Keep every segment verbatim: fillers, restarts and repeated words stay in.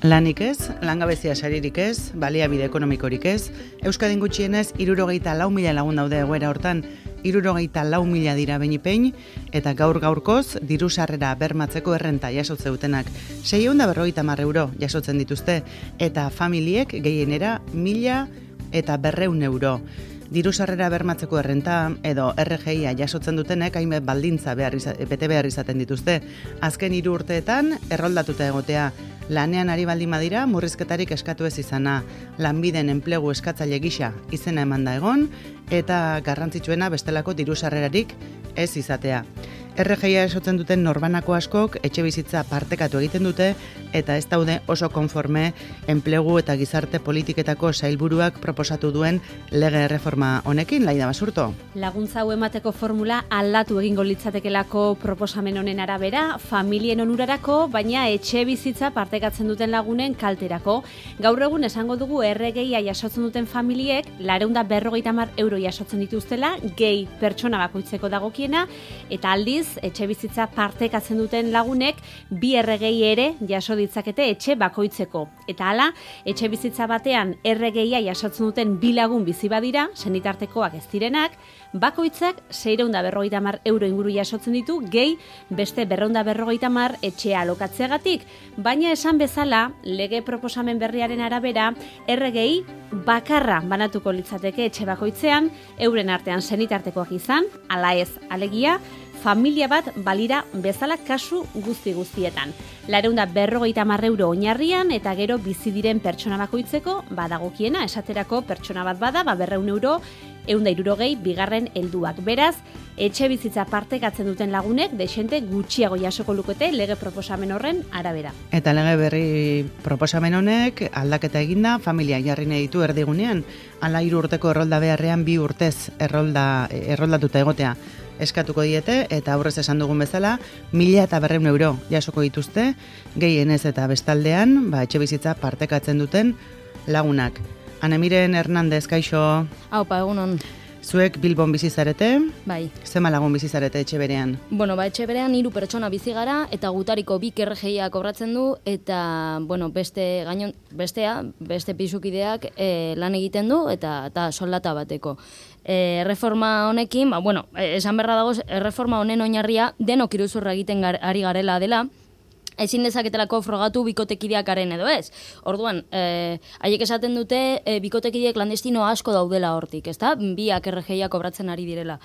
Lanik ez, langabezia saririk ez, baliabide ekonomikorik ez, Euskadin gutxienez hirurogeita lau mila lagun daude egoera hortan, hirurogeita lau mila dira behin-pein, eta gaur gaurkoz diru sarrera bermatzeko errenta jasotze dutenak. seiehun eta berrogeita hamar euro jasotzen dituzte, eta familiek gehienera mila eta berrehun euro. Diru sarrera bermatzeko errenta edo R G I-a jasotzen dutenek hainbat baldintza behar iza, bete behar izaten dituzte. Azken hiru urteetan erroldatuta egotea, lanean ari baldin badira murrizketarik eskatu ez izana, lanbiden enplegu eskatzaile gisa izena emanda egon, eta garrantzitsuena bestelako diru sarrerarik ez izatea. R G I-a esotzen duten norbanako askok etxe bizitza partekatu egiten dute eta ez daude oso konforme enplegu eta gizarte politiketako sailburuak proposatu duen lege erreforma honekin, Laida Basurto. Laguntza hau emateko formula aldatu egingo litzatekelako proposamen honen arabera, familien onurarako, baina etxe bizitza partekatzen duten lagunen kalterako. Gaur egun esango dugu R G I-a jasotzen duten familiek laurehun eta berrogeita hamar euro jasotzen dituztela, gehi pertsona bakoitzeko dagokiena, eta aldiz etxe bizitza partekatzen duten lagunek bi R G I ere jaso ditzakete etxe bakoitzeko. Eta hala, etxe bizitza batean R G I-a jasotzen duten bi lagun bizi badira, senitartekoak ez direnak, bakoitzak seiehun eta berrogeita hamar euro inguru jasotzen ditu, gehi beste berrehun eta berrogeita hamar etxea alokatzeagatik. Baina esan bezala, lege proposamen berriaren arabera, R G I bakarra banatuko litzateke etxe bakoitzean, euren artean senitartekoak izan, ala ez alegia, familia bat balira bezala kasu guzti guztietan. Laurehun eta berrogeita hamar euro oinarrian eta gero bizi diren pertsona bakoitzeko badagokiena, esaterako pertsona bat bada, ba berrehun euro, ehun eta hirurogei bigarren helduak. Beraz, etxe bizitza partekatzen duten lagunek dexente gutxiago jasoko lukete lege proposamen horren arabera. Eta lege berri proposamen honek aldaketa eginda familia jarri nahi ditu erdigunean, hala hiru urteko errolda beharrean bi urtez errolda erroldatuta egotea eskatuko diete, eta aurrez esan dugun bezala, mila eta berrehun euro jasoko dituzte, gehienez eta bestaldean, ba, etxe bizitza partekatzen duten lagunak. Anemiren Hernandez, kaixo. Aupa, egunon. Zuek Bilbon bizi zarete? Bai. Zema lagun bizi zarete etxe berean? Bueno, ba, etxe berean hiru pertsona bizi gara, eta gutariko bik R G I-a kobratzen du, eta, bueno, beste gainon, bestea, beste pisukideak e, lan egiten du, eta, eta soldata bateko. E, reforma honekin, ba, bueno, esan berra dago, reforma honen oinarria denok iruzurra egiten gar, ari garela dela, ezin dezaketelako frogatu bikotekideakaren edo ez. Orduan, eh, haiek esaten dute eh, bikotekideak landestino asko daudela hortik, ezta? Biak R G I-a kobratzen ari direla.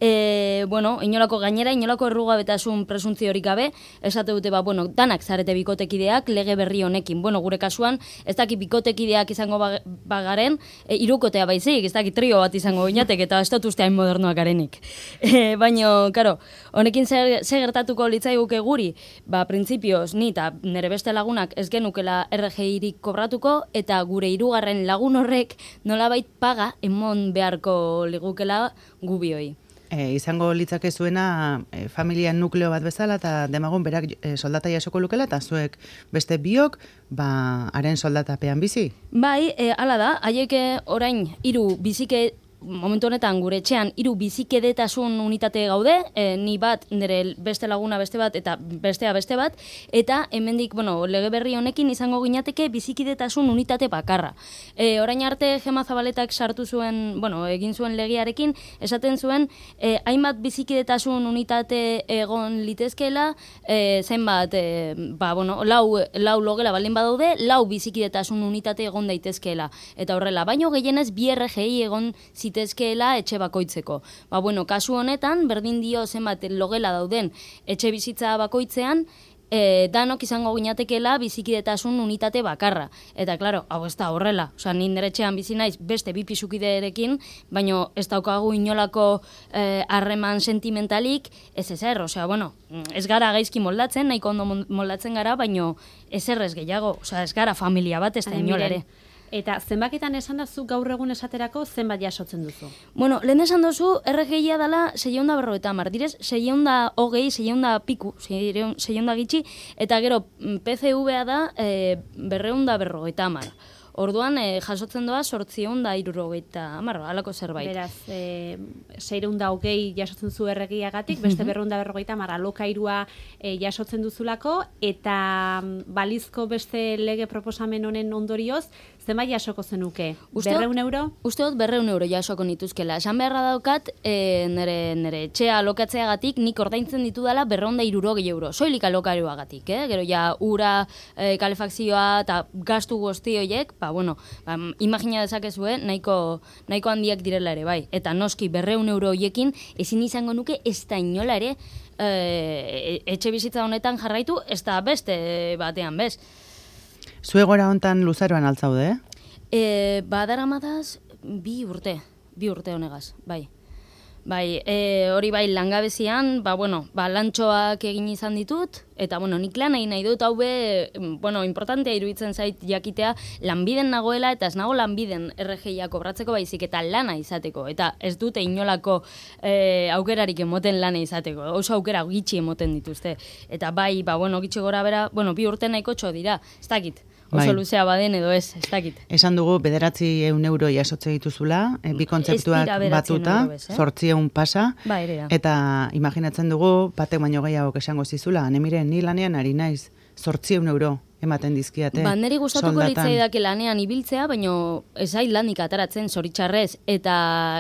E, bueno, inolako gainera, inolako errugabetasun presuntziorik gabe, esate dute, ba, bueno, danak zarete bikotekideak lege berri honekin. Bueno, gure kasuan, ez daki bikotekideak izango bagaren, e, irukotea baizik, ez daki trio bat izango inatek, eta ez dut usteain modernoak garenik. E, Baina, karo, honekin zer, zer gertatuko litzaiguke guri, ba, printzipioz, ni eta nire beste lagunak ez genukela R G I-rik kobratuko, eta gure hirugarren lagun horrek nolabait paga emon beharko ligukela gubioi. E, izango litzake zuena e, familian nukleo bat bezala eta demagun berak e, soldata jasoko lukela eta zuek beste biok ba, haren soldatapean bizi? Bai, e, hala da, haiek orain hiru bizike momentu honetan gure etxean hiru bizikedetasun unitate gaude, e, ni bat, nire beste laguna beste bat, eta bestea beste bat, eta hemendik, bueno, lege berri honekin izango ginateke bizikidetasun unitate bakarra. E, orain arte Gema Zabaletak sartu zuen, bueno, egin zuen legearekin, esaten zuen, e, hainbat bizikidetasun unitate egon litezkeela, e, zenbat, e, ba, bueno, lau, lau logela baldin badaude, lau bizikidetasun unitate egon daitezkeela. Eta horrela, baino gehienez bi R G I egon zitezkeela etxe bakoitzeko. Ba, bueno, kasu honetan, berdin dio zenbat logela dauden etxe bizitza bakoitzean, e, danok izango ginatekela bizikidetasun unitate bakarra. Eta, klaro, hau ez da horrela. Osa, ni nire etxean bizi naiz beste bi pisukiderekin, baino ez daukagu inolako harreman e, sentimentalik, ez ezer. Osea, bueno, ez gara gaizki moldatzen, nahiko ondo moldatzen gara, baino ezer ez gehiago. Osea, ez gara familia bat, ez da inolare. Eta zenbaketan esan da zu gaur egun esaterako zenbat jasotzen duzu? Bueno, lehen esan duzu, R G I-a dela seiehun eta berrogeita hamar. Direz, seiehun eta hogei, seiehun eta piku, seiehun eta gitxi, eta gero P C V-a da e, berrehun eta berrogeita hamar. Orduan, e, jasotzen doa sortzion da irurogeita hamar, halako zerbait. Beraz, e, seireun da hogei jasotzen zu erregiagatik, beste berreun da berrogeita hamar alokairua e, jasotzen duzulako, eta balizko beste lege proposamen honen ondorioz, zenbait jasoko zenuke? Berreun euro? Uste dut berreun euro jasoko nituzkela. Esan beharra daukat, e, nire, nire etxea alokatzeagatik nik ordaintzen ditudala berreun da irurogei euro. Soilik alokairuagatik, eh? Gero ja ura, e, kalefakzioa eta gastu guzti horiek, ba, bueno, ba, imagina dezakezue, nahiko, nahiko handiak direla ere, bai. Eta noski berreun euro horiekin ezin izango nuke ez da inola ere e, etxe bizitza honetan jarraitu, ez da beste batean, bez. Zuegora hontan luzaroan altzaude, eh? E, badaramadaz, bi urte, bi urte honegaz, bai. Bai, e, hori bai langabezian, ba, bueno, ba, lantxoak egin izan ditut, eta, bueno, nik lan egin nahi dut, hau be, bueno, importantea iruditzen zait jakitea, lanbiden nagoela, eta ez nago lanbiden R G I-a kobratzeko baizik, eta lana izateko, eta ez dute inolako e, aukerarik emoten lana izateko, oso aukera gitxi emoten dituzte. Eta bai, ba, bueno, gitxi gora bera, bueno, bi urte nahiko txo dira, ez dakit. Oso bai. Luzea baden edo ez, ez dakit. Esan dugu, bederatzi eun euro jasotze dituzula, e, bi kontzeptuak batuta, zortzi eun pasa, ba, eta imaginatzen dugu, batek baino gehiago esango zizula, nemiren, ni lanean ari naiz, zortzi eun euro ematen dizkiate. Ba, neri gustatuko litzaidake lanean ibiltzea, baino ez zait lanik ataratzen zoritxarrez, eta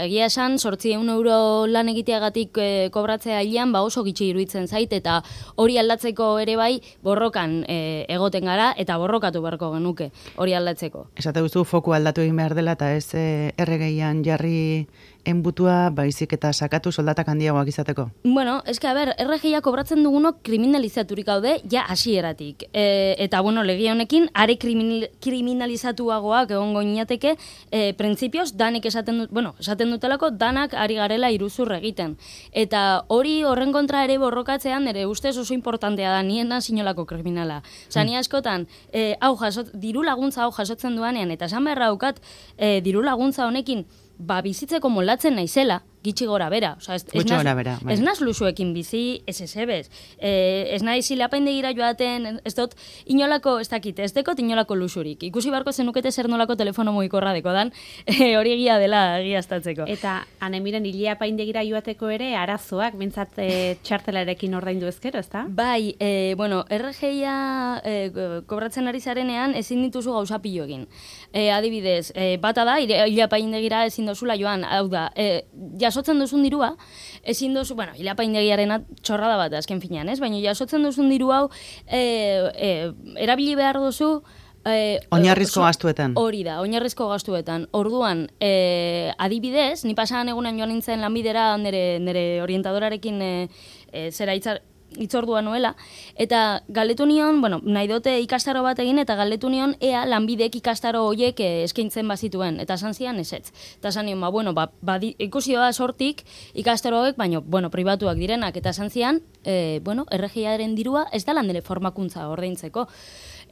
egia esan zortzi eun euro lan egiteagatik e, kobratzea hilean, ba oso gitxi iruditzen zait, eta hori aldatzeko ere bai borrokan e, egoten gara, eta borrokatu beharko genuke hori aldatzeko. Esate duzu foku aldatu egin behar dela, eta ez e, erregeian jarri enbutua, baizik eta sakatu soldatak handiagoak izateko. Bueno, eske, a ber, R G I-a kobratzen dugunok kriminalizaturik gaude, ja hasieratik. E, eta, bueno, lege honekin, are kriminal, kriminalizatuagoak egongo inateke, e, printzipioz, danek esaten dut, bueno, esaten dutelako, danak ari garela iruzur egiten. Eta hori horren kontra ere borrokatzean, ere ustez oso importantea da, nien sinolako kriminala. Osa, ni askotan, e, hau jasot, diru laguntza hau jasotzen duanean, eta esan beharra daukat, e, diru laguntza honekin, ba, bizitzeko molatzen naizela, gitxi gora bera. Osa, ez, ez, naz, bera bai. ez naz lusuekin bizi, ez ez ebez. E, ez nahi zilapaindegira joaten, ez dut, inolako, ez dakit, ez dekot inolako lusurik. Ikusi barko zenukete zer nolako telefono mugikorra deko dan, e, hori egia dela egiaztatzeko. Eta, anemiren, iliapaindegira joateko ere, arazoak, bintzat e, txartelarekin ordaindu ezkero, ez da? Bai, e, bueno, R G I-a e, kobratzen ari zarenean, ezin dituzu gauza pilo egin. E, adibidez, e, bata da, iliapaindegira ezin dozula joan, hau da, e, jasotzen duzun dirua, ezin duzu, bueno, hilapaindegiarena txorrada bat azken finean, ez? Baina jasotzen duzun diru hau e, e, erabili behar duzu e, oinarrizko gastuetan. Hori da, oinarrizko gastuetan. Orduan, e, adibidez, ni pasadan egunen joan nintzen lanbidera nire, nire orientadorarekin e, e, zera hitzar, itzordua nuela, eta galdetu nion, bueno, nahi dute ikastaro bat egin, eta galdetu nion ea lanbidek ikastaro horiek eskaintzen bazituen, eta esan zian ezetz. Eta esan nion, ba, bueno, ba, ba, ikusi da sortik ikastaro hauek, baina, bueno, pribatuak direnak, eta esan zian, e, bueno, R G I-aren dirua ez da landele formakuntza ordaintzeko.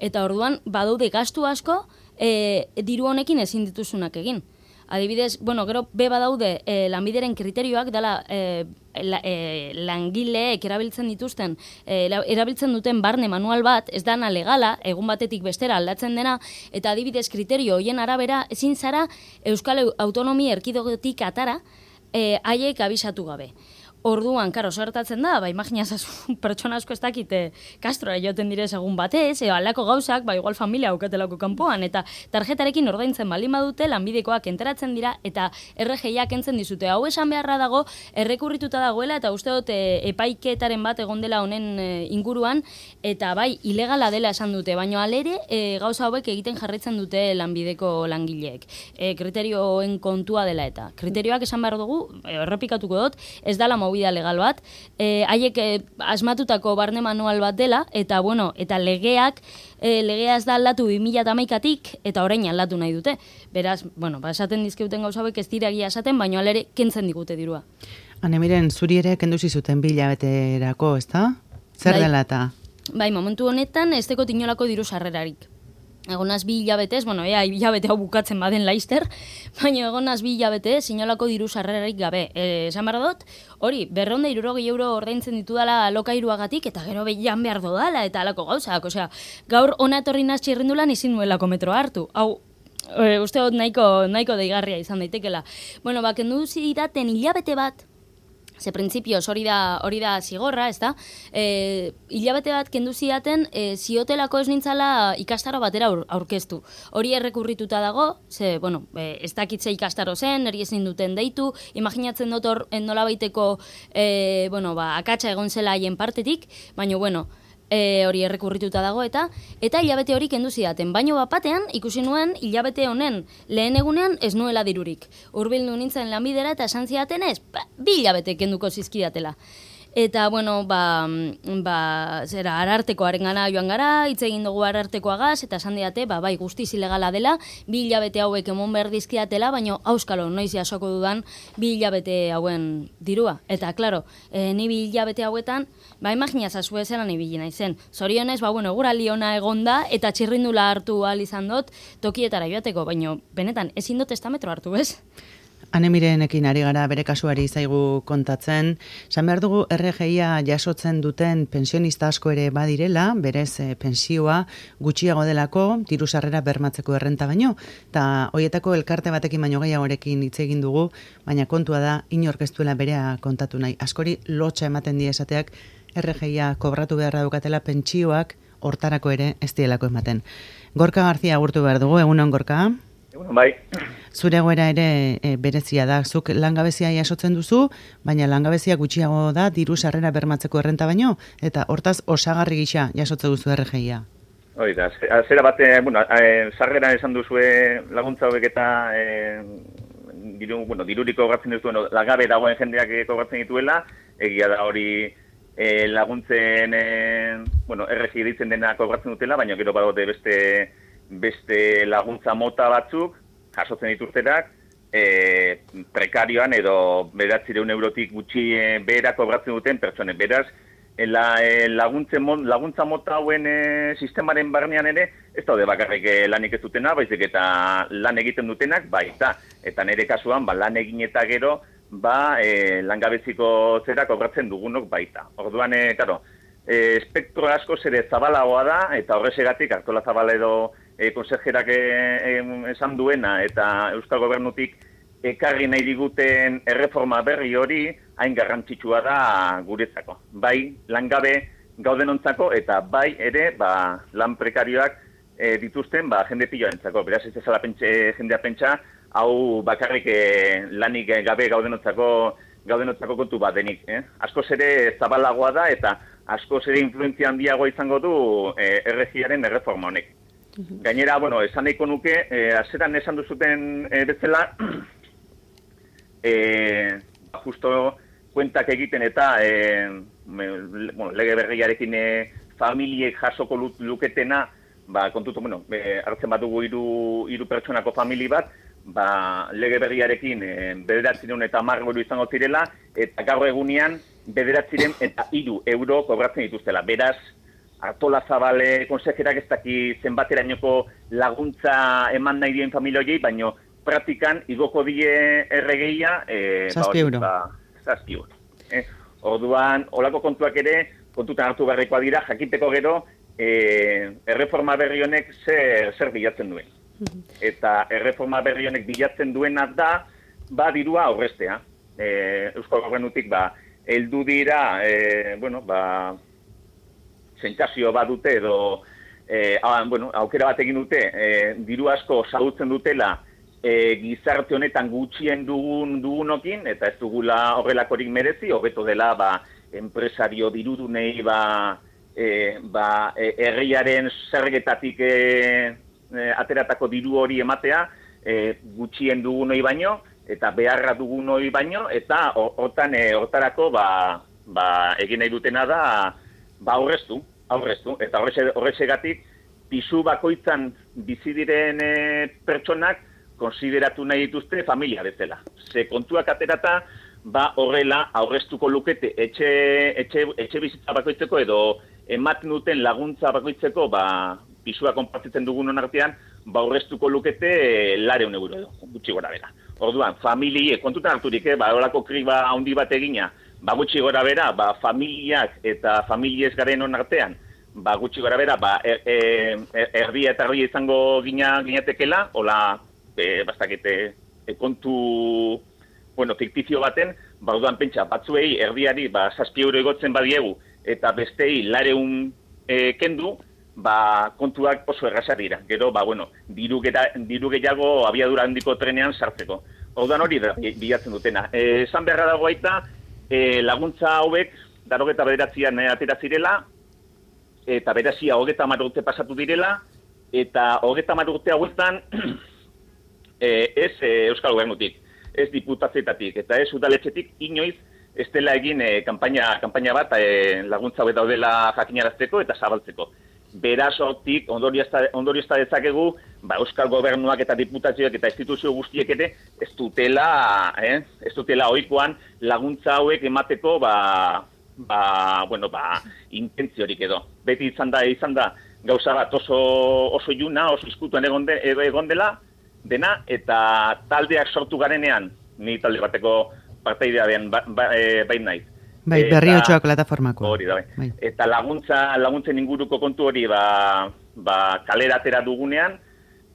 Eta orduan, badaude gastu asko, e, diru honekin ezin dituzunak egin. Adibidez, bueno, gero be badaude e, lanbideren kriterioak dela e, la, e, langileek erabiltzen dituzten, e, erabiltzen duten barne manual bat, ez dana legala, egun batetik bestera aldatzen dena, eta adibidez kriterio hoien arabera ezin zara Euskal Autonomia Erkidegotik atara e, haiek abisatu gabe. Orduan, karo, gertatzen da, ba, imaginazazu pertsona asko ez dakite kastrora joten direz egun batez, eo aldako gauzak, ba, igual familia aukatelako kanpoan, eta tarjetarekin ordaintzen baldin badute, lanbidekoak enteratzen dira, eta R G I-ak entzen dizute. Hau esan beharra dago, errekurrituta dagoela, eta uste dut e, epaiketaren bat egon dela honen e, inguruan, eta bai, ilegala dela esan dute, baina alere e, gauza hauek egiten jarraitzen dute lanbideko langileek. E, kriterioen kontua dela eta. Kriterioak esan behar dugu, e, errepikatuko dut, ez dala movida legal bat, e, haiek e, asmatutako barne manual bat dela, eta bueno, eta legeak, e, legea ez da aldatu bi mila hamaikatik, eta orain aldatu nahi dute. Beraz, bueno, ba, esaten dizkeuten gauza hauek ez dira egia esaten, baina alere kentzen digute dirua. Hane, miren, zuri ere kenduzi zuten bi hilabeterako, ez da? Zer bai, dela eta? Bai, momentu honetan ez deko tinolako diru sarrerarik. Egonaz bi hilabetez, bueno, ea, hilabete hau bukatzen baden laizter, baina egonaz bi hilabetez, inolako diru sarrerarik gabe. E, esan behar dut, hori, berreunda irurogei euro ordaintzen ditudala alokairuagatik, eta gero behian behar dodala, eta alako gauzak. Osea, gaur ona etorri naz txirrindulan izin nuelako metro hartu. Hau, e, uste dut nahiko, nahiko deigarria izan daitekela. Bueno, ba, kendu zidaten hilabete bat, ze printzipioz hori da, hori da zigorra, ez da? E, hilabete bat kendu zidaten e, ziotelako ez nintzala ikastaro batera aur, aurkeztu. Hori errekurrituta dago, ze, bueno, e, ez dakitze ikastaro zen, eri ezin duten deitu, imaginatzen dut hor nolabaiteko, e, bueno, ba, akatsa egon zela haien partetik, baina, bueno, E, hori errekurrituta dago eta eta hilabete hori kendu zidaten. Baino bat batean ikusi nuen hilabete honen lehen egunean ez nuela dirurik. Hurbildu nintzen lanbidera eta esan zidaten ez, ba, bi hilabete kenduko zizkidatela. Eta, bueno, ba, ba, zera, arartekoaren gana joan gara, hitz egin dugu arartekoagaz, eta esan diate, ba, bai, guztiz ilegala dela, bi hilabete hauek emon behar dizkidatela, baina auskalo, noiz jasoko dudan, bi hilabete hauen dirua. Eta, klaro, e, ni bi hilabete hauetan, ba, imagina zazu ezeran ibili naizen. Zorionez, ba, bueno, gura liona egonda, eta txirrindula hartu ahal izan dut, tokietara joateko, baina, benetan, ezin dut estametro hartu, ez? Anemirenekin ari gara bere kasuari zaigu kontatzen. San behar dugu R G I-a jasotzen duten pensionista asko ere badirela, berez e, pensioa gutxiago delako, diru sarrera bermatzeko errenta baino, eta hoietako elkarte batekin baino gehiagorekin hitz egin dugu, baina kontua da inork ez duela berea kontatu nahi. Askori lotxa ematen die esateak R G I-a kobratu beharra dukatela pentsioak hortarako ere ez dielako ematen. Gorka Garzia agurtu behar dugu, egunon Gorka? Bai. Zure egoera ere e, berezia da. Zuk langabezia jasotzen duzu, baina langabezia gutxiago da diru sarrera bermatzeko errenta baino, eta hortaz osagarri gisa jasotze duzu R G I-a. Hoi da, zera bate, bueno, e, sarrera esan duzue laguntza hauek eta e, diru, bueno, dirurik kobratzen duzu, bueno, langabe dagoen jendeak kobratzen dituela, egia da hori e, laguntzen, e, bueno, R G I ditzen dena kobratzen dutela, baina gero badote beste beste laguntza mota batzuk, jasotzen dituztenak, e, prekarioan edo bederatziehun eurotik gutxi e, behera kobratzen duten pertsonen. Beraz, e, la, e, laguntza mota hauen e, sistemaren barnean ere, ez daude bakarrik e, lanik ez dutena, baizik eta lan egiten dutenak, bai, eta, eta nire kasuan, ba, lan egin eta gero, ba, e, langabeziko zera kobratzen dugunok baita. Orduan, e, karo, e, espektro asko zere zabalagoa da, eta horrezegatik, Artola Zabala edo E, konserjerak e, e, esan duena eta Euskal Gobernutik ekarri nahi diguten erreforma berri hori hain garrantzitsua da guretzako. Bai langabe gaudenontzako eta bai ere ba, lan prekarioak e, dituzten ba, jende piloentzako. Beraz ez ezala pentsa, jendea pentsa hau bakarrik e, lanik gabe gaudenontzako, gaudenontzako kontu bat denik. Eh? Askoz ere zabalagoa da eta askoz ere influentzia handiagoa izango du e, R G I-aren erreforma honek. Gainera, bueno, esan nahiko nuke, eh, azeran esan duzuten eh, bezala, eh, justo kuentak egiten eta eh, me, bueno, lege berriarekin eh, familiek jasoko luketena, ba, kontutu, bueno, eh, hartzen bat dugu hiru, hiru pertsonako famili bat, ba, lege berriarekin eh, bederatzireun eta hamar euro izango zirela, eta gaur egunean bederatzireun eta hiru euro kobratzen dituztela. Beraz, Artola Zabale konsejerak ez daki zenbaterainoko laguntza eman nahi dien familia horiei, baino praktikan igoko die R G I-a e, zazpi euro. Ba, zazpi euro. Eh? Orduan, olako kontuak ere, kontutan hartu beharrekoa dira, jakiteko gero, e, erreforma berri honek zer, zer bilatzen duen. Eta erreforma berri honek bilatzen duena da, ba, dirua aurrestea. E, Euskal Gobernutik, ba, heldu dira, e, bueno, ba, sentsazio bat dute edo eh, ah, bueno, aukera bat egin dute eh, diru asko sadutzen dutela eh, gizarte honetan gutxien dugun dugunokin eta ez dugula horrelakorik merezi, hobeto dela ba, enpresario dirudunei ba, eh, ba, eh, herriaren zergetatik eh, eh, ateratako diru hori ematea eh, gutxien dugunoi baino eta beharra dugunoi baino eta hortan eh, hortarako ba, ba, egin nahi dutena da ba aurreztu, aurreztu, eta horrezegatik pisu bakoitzan bizi diren e, pertsonak konsideratu nahi dituzte familia bezala. Ze kontuak aterata, ba horrela aurreztuko lukete etxe, etxe, etxe bizitza bakoitzeko edo ematen duten laguntza bakoitzeko ba, pisua konpartitzen dugunon artean, ba aurreztuko lukete e, lareun euro edo, gutxi gora bera. Orduan, familie, kontutan harturik, eh, ba horako kriba handi bat egina, ba gutxi gora bera, ba familiak eta familiez garen hon artean, ba, gutxi gara bera, ba, er, er, erdia eta erdia izango gina, ginatekela, hola, e, bastakete, e, kontu, bueno, fiktizio baten, ba, orduan pentsa, batzuei erdiari, ba, zazpi euro egotzen badiegu, eta bestei lareun e, kendu, ba, kontuak oso erraza dira. Gero, ba, bueno, diru, gera, diru gehiago abiadura handiko trenean sartzeko. Orduan hori da, bilatzen dutena. E, esan beharra dago aita, e, laguntza hauek, darogeta bederatzean e, atera zirela, eta berazia hogeta hamar urte pasatu direla, eta hogeta hamar urte hauetan e, ez e, Euskal Gobernutik, ez diputazioetatik, eta ez udaletxetik inoiz ez dela egin e, kanpaina, kanpaina bat e, laguntza hauek daudela jakinarazteko eta zabaltzeko. Beraz hortik ondoriozta dezakegu, ba, Euskal Gobernuak eta diputazioak eta instituzio guztiek ere ez dutela, eh, ez dutela ohikoan laguntza hauek emateko, ba, ba, bueno, ba, intentziorik edo. Beti izan da, izan da, gauza bat oso, oso iluna, oso izkutuan egon, de, egon dela, dena, eta taldeak sortu garenean, ni talde bateko partaidea den ba, ba, e, bain naiz. Bai, Berriotxoak plataformako. Hori da, bai. bai. Eta laguntza, laguntzen inguruko kontu hori, ba, ba, kalera atera dugunean,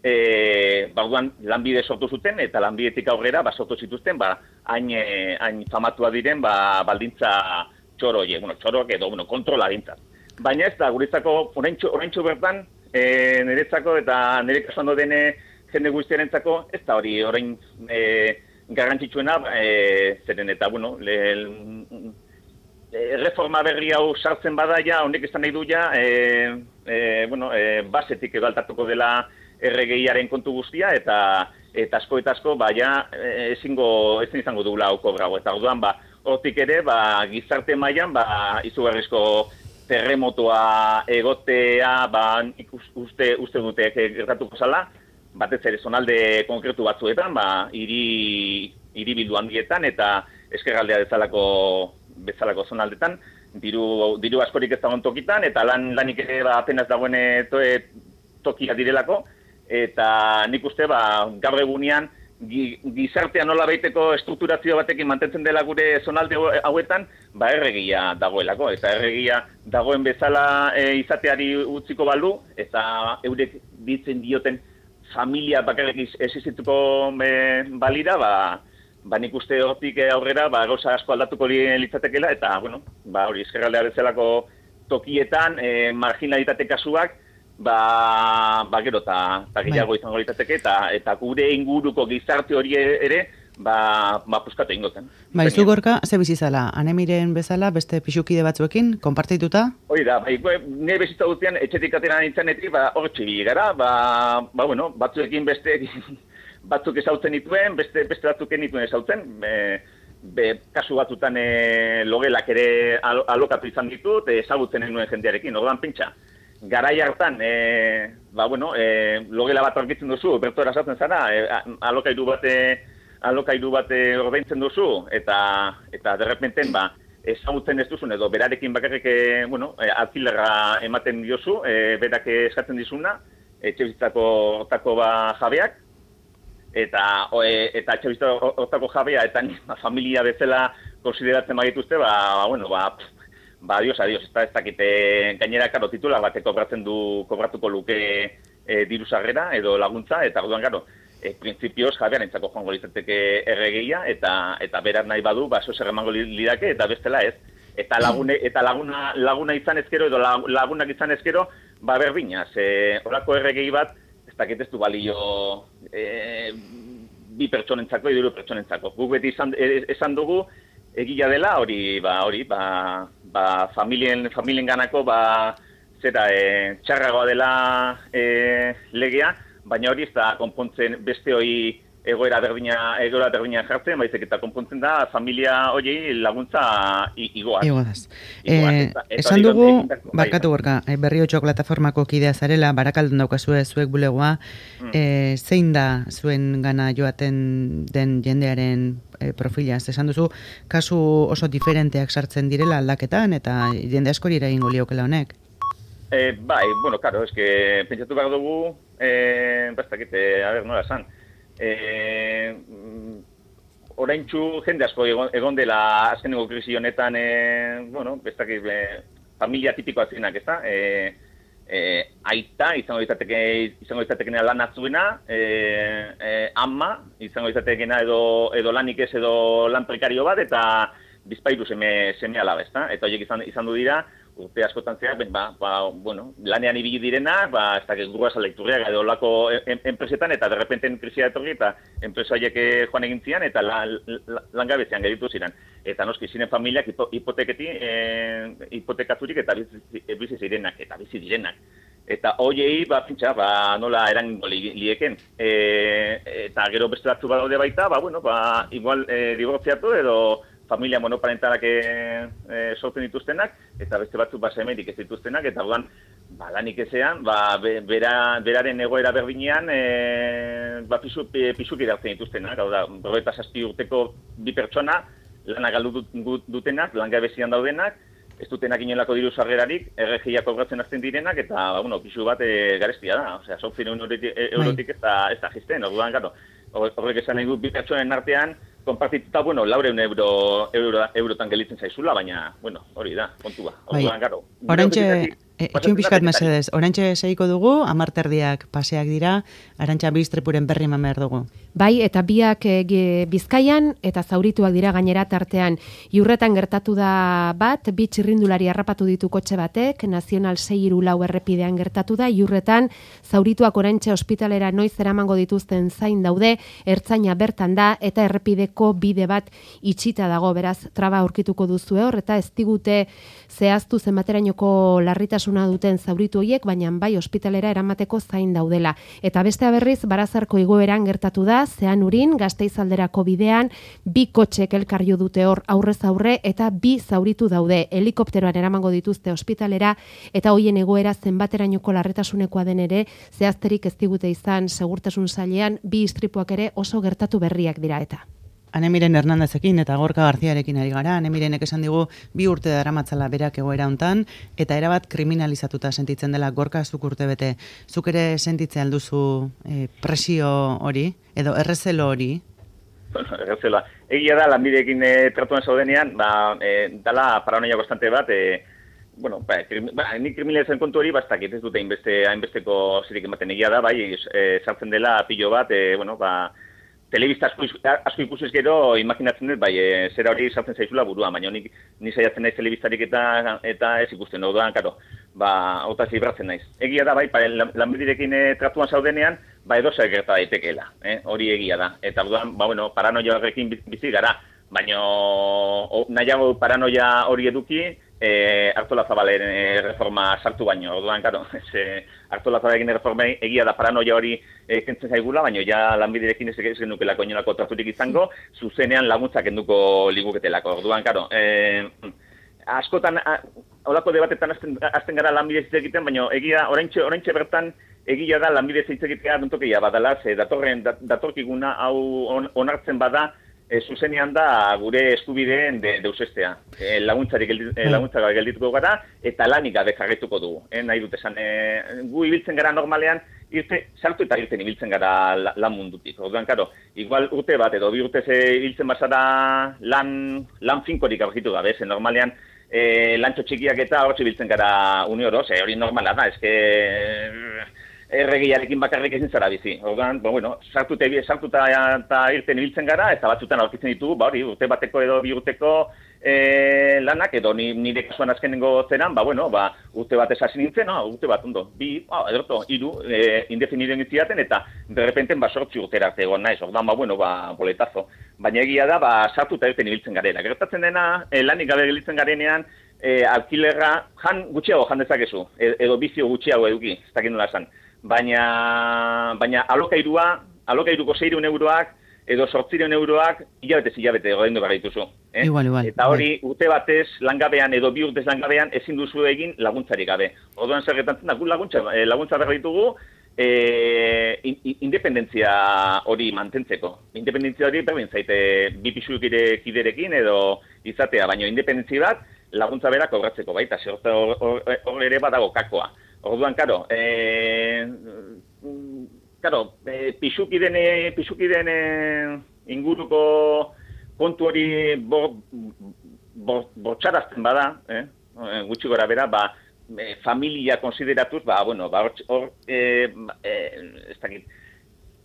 e, ba, lanbide sortu zuten, eta lanbidetik aurrera, ba, sortu zituzten, ba, hain, hain famatua diren, ba, baldintza txoro, ye, bueno, txoroak edo, bueno, kontrola dintzat. Baina ez da, guretzako, oraintxo bertan, e, niretzako eta nire kasuando dene jende guztiarentzako, ez da hori, orain e, garrantzitsuena, e, zeren eta, bueno, le, reforma berri hau sartzen bada ja, honek izan nahi du ja, e, e, bueno, e, basetik edo altatuko dela erregeiaren kontu guztia, eta eta asko eta asko, ba, ja, ezingo, ezin izango dugula hauko grago. Eta orduan, ba, hortik ere, ba, gizarte mailan, ba, izugarrizko terremotoa egotea, ba, uste, uste dute gertatuko zala, batez ere zonalde konkretu batzuetan, ba, hiri hiribildu handietan, eta eskerraldea bezalako bezalako zonaldetan, diru, diru askorik ez dagoen tokitan, eta lan, lanik ere ba, apenas dagoen to, tokia direlako, eta nik uste ba, gaur egunean gizartea nola baiteko estrukturazio batekin mantentzen dela gure zonalde hauetan, ba erregia dagoelako, eta erregia dagoen bezala e, izateari utziko balu, eta eurek ditzen dioten familia bakarrik existituko e, balira, ba, ba nik uste hortik aurrera ba, gauza asko aldatuko litzatekela, eta, bueno, ba hori, eskerraldea bezalako tokietan, e, marginalitate kasuak, ba, ba gero, eta gehiago izango litzateke, eta, eta gure inguruko gizarte hori ere, ba, ba puskatu ingoten. Ba, izu Gorka, ze bizizala, anemiren bezala, beste pixukide batzuekin, konpartituta? Hori da, ba, nire bizitza dutzean, etxetik atera nintzenetik, ba, hor txibi gara, ba, ba, bueno, batzuekin beste, batzuk ezautzen dituen, beste, beste batzuken dituen ezautzen, be, be, kasu batzutan e, logelak ere al, alokatu izan ditut, ezagutzen nuen jendearekin, orduan pentsa. Garai hartan, e, ba, bueno, e, logela bat aurkitzen duzu, bertora esaten zara, e, alokairu bate, alokairu bate ordaintzen duzu, eta, eta derrepenten, ba, ezagutzen ez duzun, edo berarekin bakarrik, e, bueno, e, alkilerra ematen diozu, e, berak eskatzen dizuna, etxe bizitzako hortako ba, jabeak, eta e, eta etxe bizitzako hortako jabea, eta ba, familia bezala konsideratzen bagituzte, ba, ba, bueno, ba, ba, adios, adios, ez da, ez dakite gainera, karo, titula batek kobratzen du, kobratuko luke e, diru sarrera edo laguntza, eta orduan, garo, e, printzipioz jabean entzako joango litzateke erregeia, eta eta berar nahi badu, ba, zo zer emango lidake, eta bestela ez. Eta, lagune, eta laguna, laguna izan ezkero, edo lagunak izan ezkero, ba, berdina, ze horako erregei bat, ez dakit ez du balio e, bi pertsonentzako, hiru pertsonentzako. Guk beti izan, esan dugu, egia dela, hori, ba, hori, ba, ba, familien, familien ganako, ba, zera, e, txarragoa dela e, legea, baina hori ez da konpontzen beste hori egoera berdina, egoera berdina jartzen, baizik eta konpontzen da familia hori laguntza igoaz. Igoaz. Eh, esan dugu, barkatu Gorka, Berriotxoak plataformako kidea zarela, Barakaldon daukazue zuek bulegoa, mm. eh, zein da zuen gana joaten den jendearen eh, profilaz? Esan duzu, kasu oso diferenteak sartzen direla aldaketan, eta jende askori eragingo liokela honek? Eh, bai, bueno, karo, eske pentsatu behar dugu, eh, bastakete, a ber, nola esan, Eh, oraintxu jende asko egon, egon dela azkeneko krisi honetan, eh, bueno, bestakit, eh, familia tipikoa zirenak, ez da? E, e, aita, izango izateke, izango izatekena lan atzuena, e, e, ama, izango izatekena edo, edo lanik ez edo lan prekario bat, eta bizpairu seme, seme alaba, ez da? Eta horiek izan, izan du dira, urte askotan zeak, ba, ba, bueno, lanean ibili direnak, ba, ez dakit gurua salekturriak edo olako enpresetan, eta derrepenten krisia etorri, eta enpresa horiek joan egin zian, eta la, la, langabezian geditu ziren. Eta noski, ziren familiak hipo, hipoteketi, e, hipotekaturik eta bizi, bizi zirenak, eta bizi direnak. Eta hoiei, ba, pintxa, ba, nola erango li, lieken. E, eta gero beste batzu badaude baita, ba, bueno, ba, igual e, dibortziatu edo familia monoparentalak e, e, sortzen dituztenak, eta beste batzuk ba, semerik ez dituztenak, eta orduan, ba, lanik ezean, ba, be, bera, beraren egoera berdinean, e, ba, pisu, pisuk irartzen dituztenak, hau da, berrogeita zazpi urteko bi pertsona, lana galdu dutenak, langabezian daudenak, ez dutenak inolako diru sarrerarik, erregiak kobratzen hasten direnak, eta, ba, bueno, pisu bat e, garestia da, osea, zortziehun eurotik ez da, ez da jisten, orduan, garo, horrek esan nahi du bi pertsonen artean, konpartituta, bueno, laureun euro, euro, eurotan gelitzen zaizula, baina, bueno, hori da, kontua. Bai, orantxe, etxun pixkat mesedez, orantxe seiko dugu, amarterdiak paseak dira, Arantxa Bistrepuren berri eman behar dugu. Bai, eta biak e, Bizkaian, eta zaurituak dira gainera tartean. Iurretan gertatu da bat, bi txirrindulari harrapatu ditu kotxe batek, Nazional sei hiru lau errepidean gertatu da, Iurretan zaurituak orantxe ospitalera noiz eramango dituzten zain daude, ertzaina bertan da, eta errepideko bide bat itxita dago, beraz, traba aurkituko duzu hor, eta ez digute zehaztu zenbaterainoko larritasuna duten zauritu horiek, baina bai ospitalera eramateko zain daudela. Eta bestea berriz, Barazarko igoeran gertatu da, Zean Urin, Gasteizalderako bidean, bi kotxek elkar jo dute hor aurrez aurre, eta bi zauritu daude. Helikopteroan eramango dituzte ospitalera, eta hoien egoera zenbaterainoko larritasunekoa den ere, zehazterik ez digute izan segurtasun sailean, bi istripuak ere oso gertatu berriak dira eta. Anemiren Hernandezekin eta Gorka Garziarekin ari gara, Anemirenek esan digu bi urte daramatzala berak egoera hontan, eta erabat kriminalizatuta sentitzen dela. Gorka, zuk urte bete, zuk ere sentitzen alduzu e, presio hori, edo errezelo hori? Bueno, errezela. Egia da, lanbideekin e, tratuan zaudenean, ba, e, dala paranoia konstante bat, e, bueno, ba, krim, ba, ni kriminalizatzen kontu hori, bastakit ez dute hainbeste, hainbesteko zirik ematen. Egia da, bai, e, sartzen dela pilo bat, e, bueno, ba, telebista asko, asko ikusiz gero, imaginatzen dut, bai, e, zera hori sartzen zaizula buruan, baina nik ni saiatzen naiz telebistarik eta eta ez ikusten, orduan, karo, ba, hotaz libratzen naiz. Egia da, bai, lanbiderekin e, tratuan zaudenean, ba, edo zer gerta daitekeela, eh? Hori egia da. Eta orduan, ba, bueno, paranoia horrekin bizi gara, baina nahiago paranoia hori eduki, E, Artolazabalen e, reforma sartu baino, orduan, karo, e, Artolazabalen reforma egia da paranoia hori e, kentzen zaigula, baina ja lanbiderekin ez genukelako inolako traturik izango, zuzenean laguntzak enduko liguketelako, orduan, karo, e, askotan, a, olako debatetan azten, azten gara lanbidez hitz egiten, baina egia, oraintxe, oraintxe bertan, egia da lanbidez hitz egitea duntokia badala, ze datorren, dat, datorkiguna hau on, onartzen bada, E, zuzenean da gure eskubideen de, deusestea. E, laguntzari geldi, e, laguntzak geldituko gara eta lanik gabe jarraituko dugu. E, nahi dut esan, e, gu ibiltzen gara normalean, irte, saltu eta irten ibiltzen gara la, lan mundutik. Orduan, karo, igual urte bat edo bi urte ze ibiltzen bazara lan, lan finkorik aurkitu gabe, ze normalean e, lantxo txikiak eta hortzi ibiltzen gara unioro, ze hori normala da, eske erregiarekin bakarrik ezin zara bizi. Orduan, ba, bueno, sartuta sartuta eta irten ibiltzen gara, eta batzutan aurkitzen ditugu, ba, hori, urte bateko edo bi urteko e, lanak, edo ni, nire kasuan azkenengo zeran, ba, bueno, ba, urte bat esasi nintzen, no, urte bat, ondo, bi, ah, ederto, hiru, e, indefinidoen itziaten, eta derrepenten, ba, sortzi urtera arte egon naiz, orduan, ba, bueno, ba, boletazo. Baina egia da, ba, sartuta irten ibiltzen garela. Gertatzen dena, e, lanik gabe gelitzen garenean, e, alkilerra, jan gutxiago jan dezakezu, edo bizio gutxiago eduki, ez dakit nola esan. Baina, baina alokairua, alokairuko seiehun euroak edo zortziehun euroak hilabetez hilabete ordaindu behar dituzu. Eh? Igual, igual. Eta hori urte batez langabean edo bi urtez langabean ezin duzu egin laguntzarik gabe. Orduan zer gertatzen da, gu laguntza, laguntza behar ditugu e, independentzia hori mantentzeko. Independentzia hori berdin zaite bi pisukiderekin edo izatea, baina independentzia bat laguntza berak kobratzeko baita, zer hor ere badago kakoa. Orduan, karo, e, karo, e, pixukiden, pixukiden e, inguruko kontu hori bo, bo, botxarazten bada, eh? gutxi gora bera, ba, e, familia konsideratuz, ba, bueno, ba, hor, e, e, ez dakit,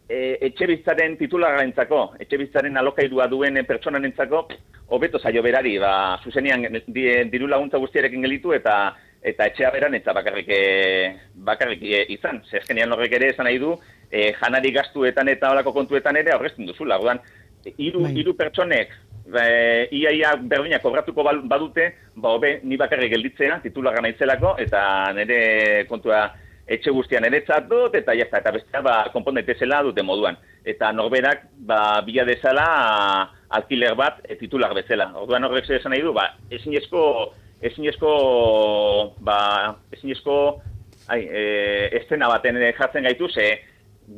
e, etxe bizitzaren titularrentzako, etxe bizitzaren alokairua duen pertsonanentzako, hobeto zaio berari, ba, zuzenean diru laguntza guztiarekin gelitu eta eta etxea beran eta bakarrik, e, bakarrik e, izan. Zezkenean horrek ere esan nahi du, e, janari gastuetan eta olako kontuetan ere aurrezten duzula. Orduan, hiru hiru pertsonek, e, iaia berdina kobratuko badute, ba hobe ni bakarrik gelditzea, titularra naitzelako, eta nire kontua etxe guztian eretzat dut, eta jazta, eta bestea, ba, konpon daitezela dute moduan. Eta norberak, ba, bila dezala alkiler bat e, titular bezala. Orduan horrek esan nahi du, ba, ezinezko ezinezko, ba, ezinezko, ai, e, estena baten jartzen gaitu, ze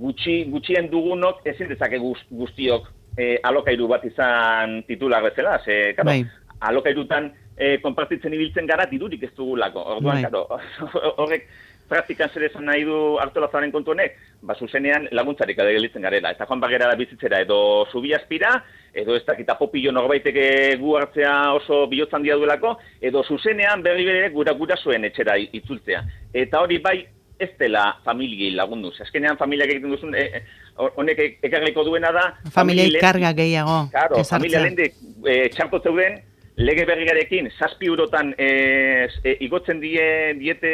gutxi, gutxien dugunok ezin dezake guztiok e, alokairu bat izan titular bezala, ze, karo, bai. Alokairutan e, konpartitzen ibiltzen gara dirurik ez dugulako. Orduan, bai. Karo, horrek praktikan zer esan nahi du Artolazabalen kontu honek, ba, zuzenean laguntzarik adegelitzen garela. Eta joan bagera da bizitzera edo zubi aspira, edo ez dakita popillo norbaiteke gu hartzea oso bihotzan dia duelako, edo zuzenean berri bere gura gura zuen etxera itzultzea. Eta hori bai ez dela familiei lagunduz. Azkenean familiak egiten duzun, e, honek e, ekarriko duena da... Familiei karga gehiago. Claro, familia lehende e, txarto zeuden, lege berrigarekin, zazpi eurotan e, e, igotzen die, diete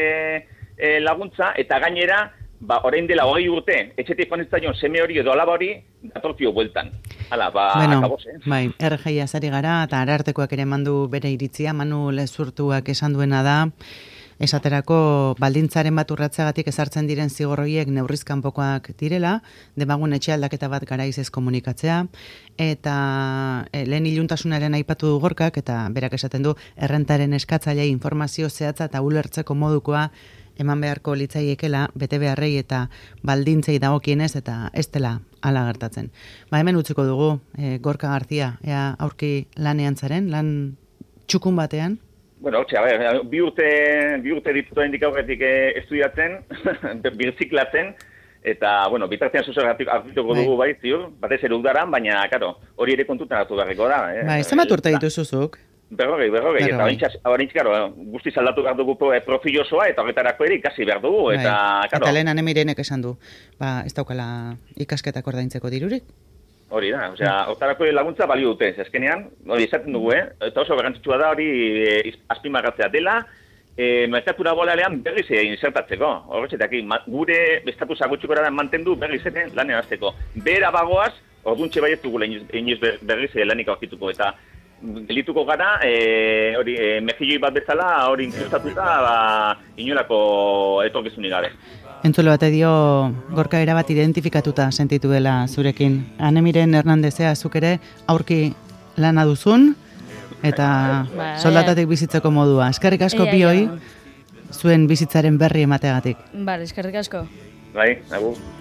e, laguntza, eta gainera, ba, orain dela hogei urte, etxetik joan seme hori edo alaba hori, datortio bueltan. Hala, ba, bueno, akabos, eh? Bai, R G azari gara, eta arartekoak ere mandu bere iritzia, Manu Lezurtuak esan duena da, esaterako baldintzaren bat urratzeagatik ezartzen diren zigorroiek neurrizkanpokoak direla, demagun etxe aldaketa bat garaiz ez komunikatzea, eta e, lehen iluntasunaren aipatu du Gorkak, eta berak esaten du, errentaren eskatzailei informazio zehatza eta ulertzeko modukoa eman beharko litzaiekela, bete beharrei eta baldintzei dagokienez, eta ez dela hala gertatzen. Ba, hemen utziko dugu, e, Gorka Garzia, ea aurki lanean zaren, lan txukun batean? Bueno, hotxe, a ber, bi urte, bi urte ditutu hendik aurretik eh, estudiatzen, birziklatzen, eta, bueno, bitartean zuzer hartuko dugu bai, ziur, batez ere udaran, baina, karo, hori ere kontutan hartu beharreko da. Eh? Bai, zenbat urte dituzuzuk? Berrogei, berrogei, eta horintz, karo, guztiz aldatu behar dugu profil osoa, eta horretarako ere ikasi behar dugu, eta, bai. karo... Eta lehen anemirenek esan du, ba, ez daukala ikasketak ordaintzeko dirurik? Hori da, osea, hortarako laguntza balio dute, ezkenean, hori izaten dugu, eh? Eta oso garrantzitsua da hori e, azpimarratzea dela, e, merkatura bolalean berriz insertatzeko. Horretzetak, gure estatusa gutxikora mantendu berriz ere lanean azteko. Bera bagoaz, orduntxe baiet dugu inoiz berriz lanik aurkituko, eta gelituko gara, e, hori, e, mejilloi bat bezala, hori inkustatuta, ba, inolako etorkizunik gabe. Entzulo bate dio, Gorka erabat identifikatuta sentitu dela zurekin. Anemiren Hernandezea zuk ere aurki lana duzun, eta ba, soldatatik bizitzeko modua. Eskerrik asko bioi, zuen bizitzaren berri emateagatik. Bale, eskerrik asko. Bai, agur.